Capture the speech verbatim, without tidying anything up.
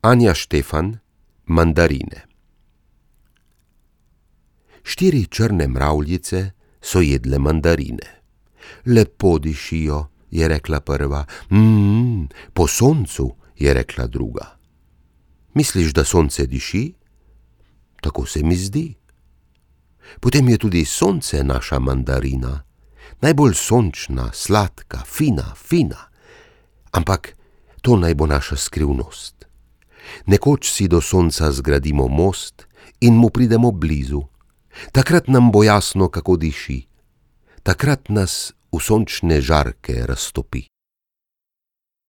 Anja Štefan, mandarine. Štiri črne mravljice so jedle mandarine. Lepo dišijo, je rekla prva. Mmm, po soncu, je rekla druga. Misliš, da sonce diši? Tako se mi zdi. Potem je tudi sonce naša mandarina, najbolj sončna, sladka, fina, fina. Ampak to naj bo naša skrivnost. Nekoč si do sonca zgradimo most in mu pridemo blizu. Takrat nam bo jasno, kako diši. Takrat nas v sončne žarke raztopi.